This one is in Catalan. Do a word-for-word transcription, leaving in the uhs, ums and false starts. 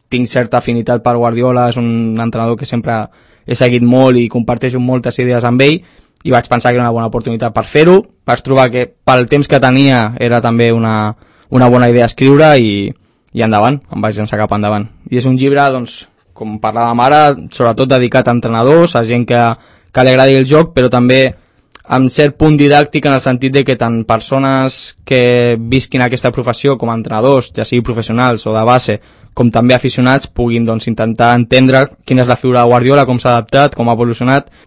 tinc certa afinitat per Guardiola, és un entrenador que sempre he seguit molt i comparteixo moltes idees amb ell, i vaig pensar que era una bona oportunitat per fer-ho. Vaig trobar que pel temps que tenia era també una, una bona idea escriure i, i endavant, em vaig llançar cap endavant. I és un llibre, doncs, com parlàvem ara, sobretot dedicat a entrenadors, a gent que, que li agradi el joc, però també amb cert punt didàctic en el sentit de que tant persones que visquin aquesta professió com a entrenadors, ja sigui professionals o de base, com també aficionats, puguin doncs, intentar entendre quina és la figura de Guardiola, com s'ha adaptat, com ha evolucionat